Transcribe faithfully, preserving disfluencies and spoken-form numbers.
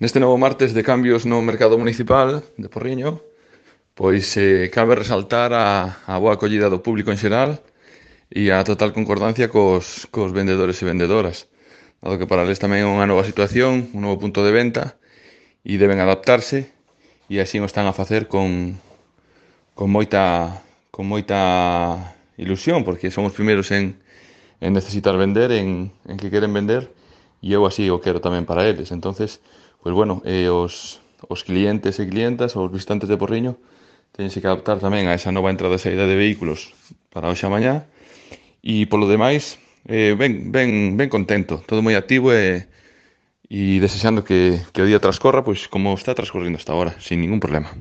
Neste novo martes de cambios no mercado municipal de Porriño, pois eh, cabe resaltar a, a boa acollida do público en xeral e a total concordancia cos, cos vendedores e vendedoras, dado que para eles tamén é unha nova situación, un novo punto de venta e deben adaptarse e así o están a facer con, con moita con moita ilusión, porque son os primeiros en, en necesitar vender, en, en que queren vender, e eu así o quero tamén para eles. Entonces, pois bueno, eh, os, os clientes e clientas, os visitantes de Porriño, teñense que adaptar tamén a esa nova entrada e saída de vehículos para hoxe a mañá, e polo demais, eh, ben, ben, ben contento, todo moi activo e, e desexando que, que o día transcorra pois como está transcorrendo hasta ahora, sin ningún problema.